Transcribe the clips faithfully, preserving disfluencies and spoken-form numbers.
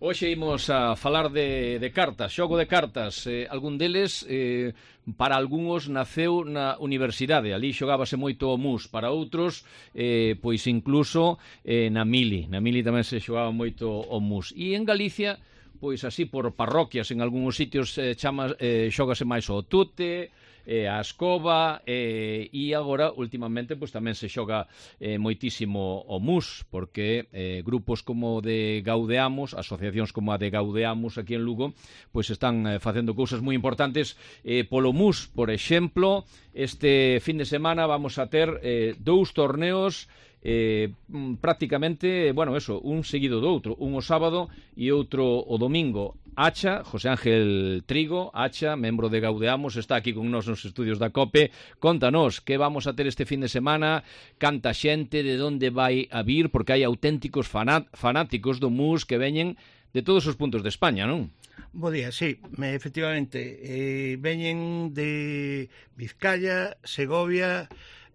Hoxe imos a falar de, de cartas, xogo de cartas. Eh, algún deles, eh, para algúns, naceu na universidade. Ali xogábase moito o mus. Para outros, eh, pois incluso eh, na mili. Na mili tamén se xogaba moito o mus. E en Galicia, pois así por parroquias, en algúns sitios eh, chama, eh, xógase máis o tute, eh, a escoba, eh, e agora, últimamente, pois tamén se xoga eh, moitísimo o mus, porque eh, grupos como de Gaudeamos, asociacións como a de Gaudeamos aquí en Lugo, pois están eh, facendo cousas moi importantes eh, polo mus. Por exemplo, este fin de semana vamos a ter eh, dous torneos Eh, prácticamente, bueno, eso, un seguido do outro, un o sábado e outro o domingo. Acha, José Ángel Trigo, Acha, membro de Gaudeamos, está aquí con nós nos estudios da COPE. Contanos, que vamos a ter este fin de semana, canta xente, de onde vai a vir, porque hai auténticos fanáticos do mus que veñen de todos os puntos de España, non? Bo día, sí, me, efectivamente, eh, veñen de Vizcaya, Segovia,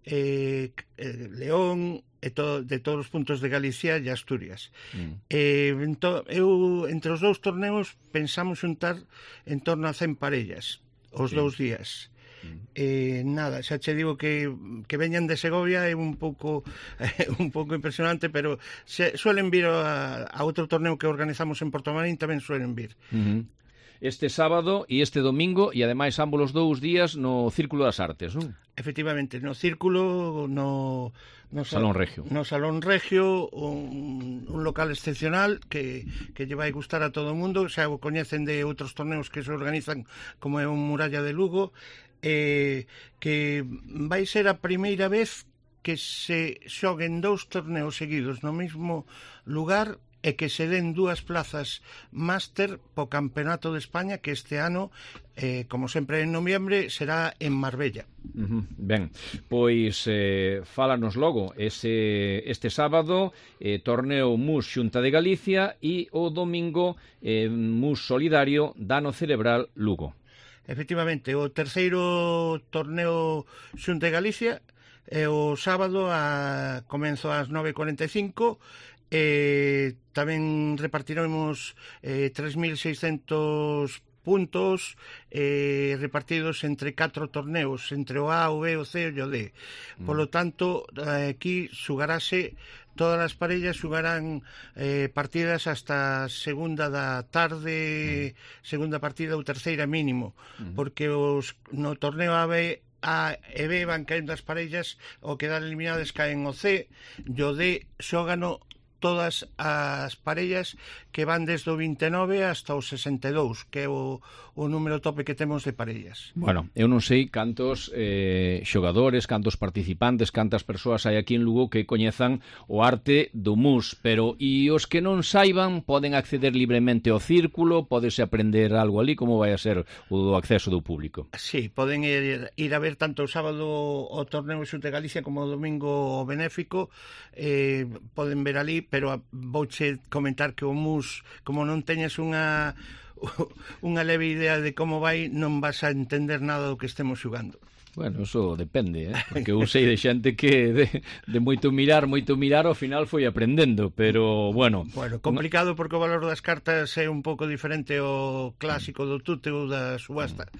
eh, eh, León, e to, de todos os puntos de Galicia e Asturias. Mm. Eh, ento, eu, entre os dous torneos, pensamos xuntar en torno a cen parellas, os sí. dous días. Mm. Eh, nada, xa che digo que, que veñan de Segovia é un pouco eh, un pouco impresionante, pero se, suelen vir a, a outro torneo que organizamos en Portomarín, tamén suelen vir. Mm-hmm. Este sábado e este domingo, e ademais ambos os dous días no Círculo das Artes, non? Efectivamente, no Círculo, no, no Salón Regio. No Salón Regio, un, un local excepcional que, que lle vai gustar a todo o mundo. Xa o coñecen de outros torneos que se organizan, como é un Muralla de Lugo, eh, que vai ser a primeira vez que se xoguen dous torneos seguidos no mesmo lugar e que se den dúas plazas máster po Campeonato de España, que este ano, eh, como sempre en noviembre, será en Marbella. Uh-huh. Ben, pois eh, fálanos logo ese, este sábado eh, torneo mus Xunta de Galicia e o domingo eh, mus solidario Dano Cerebral Lugo. Efectivamente, o terceiro torneo Xunta de Galicia é o sábado a comenzo ás nove e cuarenta e cinco. Eh, tamén repartiremos eh, tres mil seiscentos puntos eh, repartidos entre catro torneos, entre o A, o B, o C e o D. Mm. Por lo tanto, aquí xugarase, todas as parellas xugarán eh, partidas hasta segunda da tarde, mm. segunda partida ou terceira mínimo, mm. porque os no torneo A, B A e B van caendo as parellas, o quedar eliminadas caen o C, e o D xógano todas as parellas que van desde o vinte e nove hasta o sesenta e dous, que é o, o número tope que temos de parellas. Bueno, eu non sei cantos eh, xogadores, cantos participantes, cantas persoas hai aquí en Lugo que coñezan o arte do mus, pero e os que non saiban poden acceder libremente ao círculo, podese aprender algo ali, como vai a ser o do acceso do público? Sí, poden ir, ir a ver tanto o sábado o torneo Xunta de Galicia como o domingo o benéfico, eh, poden ver ali, pero vouche comentar que o mus, como non teñes unha unha leve idea de como vai, non vas a entender nada do que estemos xugando. Bueno, eso depende, eh? Porque eu sei de xente que de, de moito mirar, moito mirar, ao final foi aprendendo, pero bueno... Bueno, complicado porque o valor das cartas é un pouco diferente ao clásico do tute ou da subasta.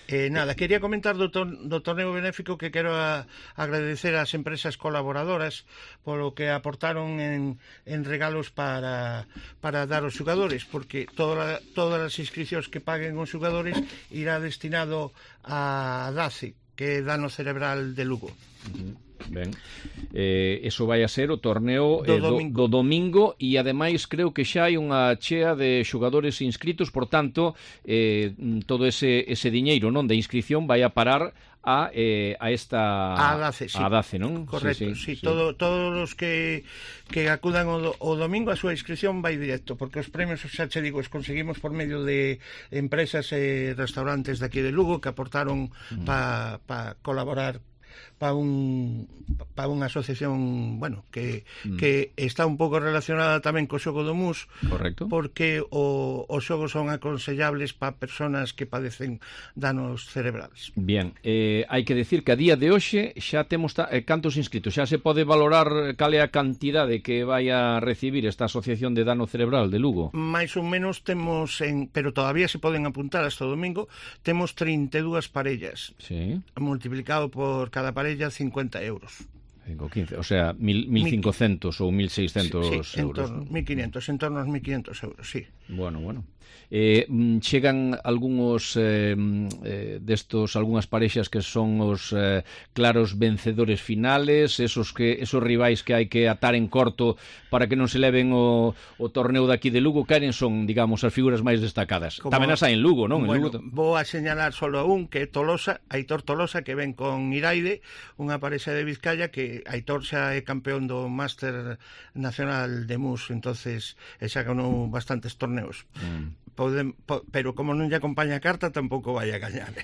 Eh, nada, quería comentar do, tor do torneo benéfico, que quero a, agradecer ás empresas colaboradoras polo que aportaron en, en regalos para, para dar aos xogadores, porque toda, todas as inscripcións que paguen os xogadores irá destinado a D A C E, que é Dano Cerebral de Lugo. Uh-huh. Ben, eh, eso vai a ser o torneo do, eh, do, domingo. do domingo, e ademais creo que xa hai unha chea de xogadores inscritos, por tanto eh, todo ese, ese diñeiro, non, de inscripción vai a parar a, eh, a esta a D A C E, sí. a D A C E, non? Correcto, sí, sí, sí. Todo, todos os que, que acudan o, do, o domingo, a súa inscripción vai directo, porque os premios, xa che digo, os conseguimos por medio de empresas e restaurantes de aquí de Lugo que aportaron mm. para pa colaborar para un para unha asociación, bueno, que, mm. que está un pouco relacionada tamén co xogo do mus. Correcto. Porque o, os xogos son aconsellables para persoas que padecen danos cerebrales. Bien, eh, hai que decir que a día de hoxe xa temos ta, eh, cantos inscritos, xa se pode valorar cal é a cantidade que vai a recibir esta asociación de dano cerebral de Lugo. Mais ou menos temos, en, pero todavía se poden apuntar hasta o domingo, temos trinta e dúas parellas. Sí. Multiplicado por cada parella cincuenta euros. cinco, quince, o sea, mil cincuentos ou mil seiscentos sí, sí, euros. En torno, mil quinientos, en torno aos mil quinientos euros, sí. Bueno, bueno. Eh, chegan algúns eh, eh, destos, algunhas parexas que son os eh, claros vencedores finales, esos que esos rivais que hai que atar en corto para que non se leven o, o torneo daqui de Lugo, queren son, digamos, as figuras máis destacadas. Como, tamén as hai en Lugo, non? Bueno, en Lugo... vou a señalar solo a un, que é Tolosa, Aitor Tolosa, que ven con Iraide, unha parexa de Vizcaya, que Aitor xa é campeón do Máster Nacional de Mus, entonces xa ganou bastantes torneos. Mm. Podem, po, pero como non lle acompaña a carta, tampouco vai a gañar.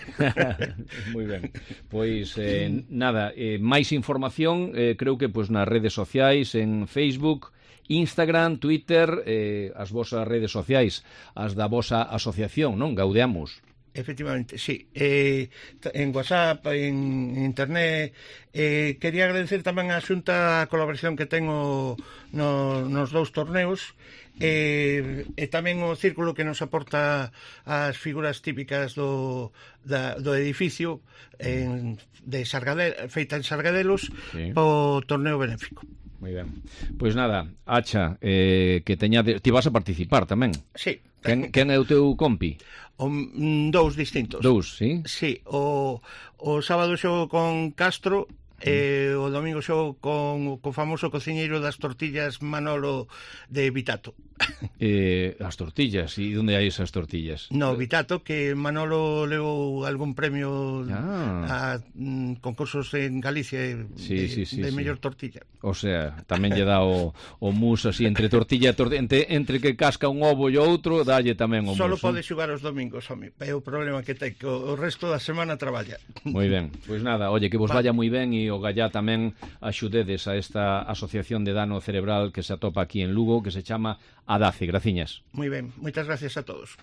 Moi ben. Pois, eh, nada, eh, máis información, eh, creo que pois nas redes sociais, en Facebook, Instagram, Twitter, eh, as vosas redes sociais, as da vosa asociación, non? Gaudeamos. Efectivamente, sí. Eh, en WhatsApp, en Internet, eh, quería agradecer tamén a Xunta a colaboración que tengo no, nos dous torneos, e, e tamén o círculo que nos aporta as figuras típicas do, da, do edificio en, de Sargadel, feita en Sargadelos, sí, o torneo benéfico. Moi ben. Pois nada, Acha, eh, que teña de... ti vas a participar tamén. Sí. Quen, quen é o teu compi? O, mm, dous distintos. Dous, sí? Sí, o, o sábado xogo con Castro, e o domingo xogo con o famoso cociñeiro das tortillas Manolo de Vitato. Eh, as tortillas, e onde hai esas tortillas? No, Vitato, que Manolo levou algún premio ah. a mm, concursos en Galicia sí, de, sí, sí, de sí. mellor tortilla. O sea, tamén lle dá o, o mus así entre tortilla e tortilla, entre, entre que casca un ovo e outro, dalle tamén o mus. Solo pode xogar os domingos, home, é o problema que ten, que o resto da semana traballa. Moi ben, pois nada, oye, que vos vaya moi ben e o gallá tamén axudedes a esta asociación de dano cerebral que se atopa aquí en Lugo, que se chama ADACE. Graciñas. Moi ben, moitas gracias a todos.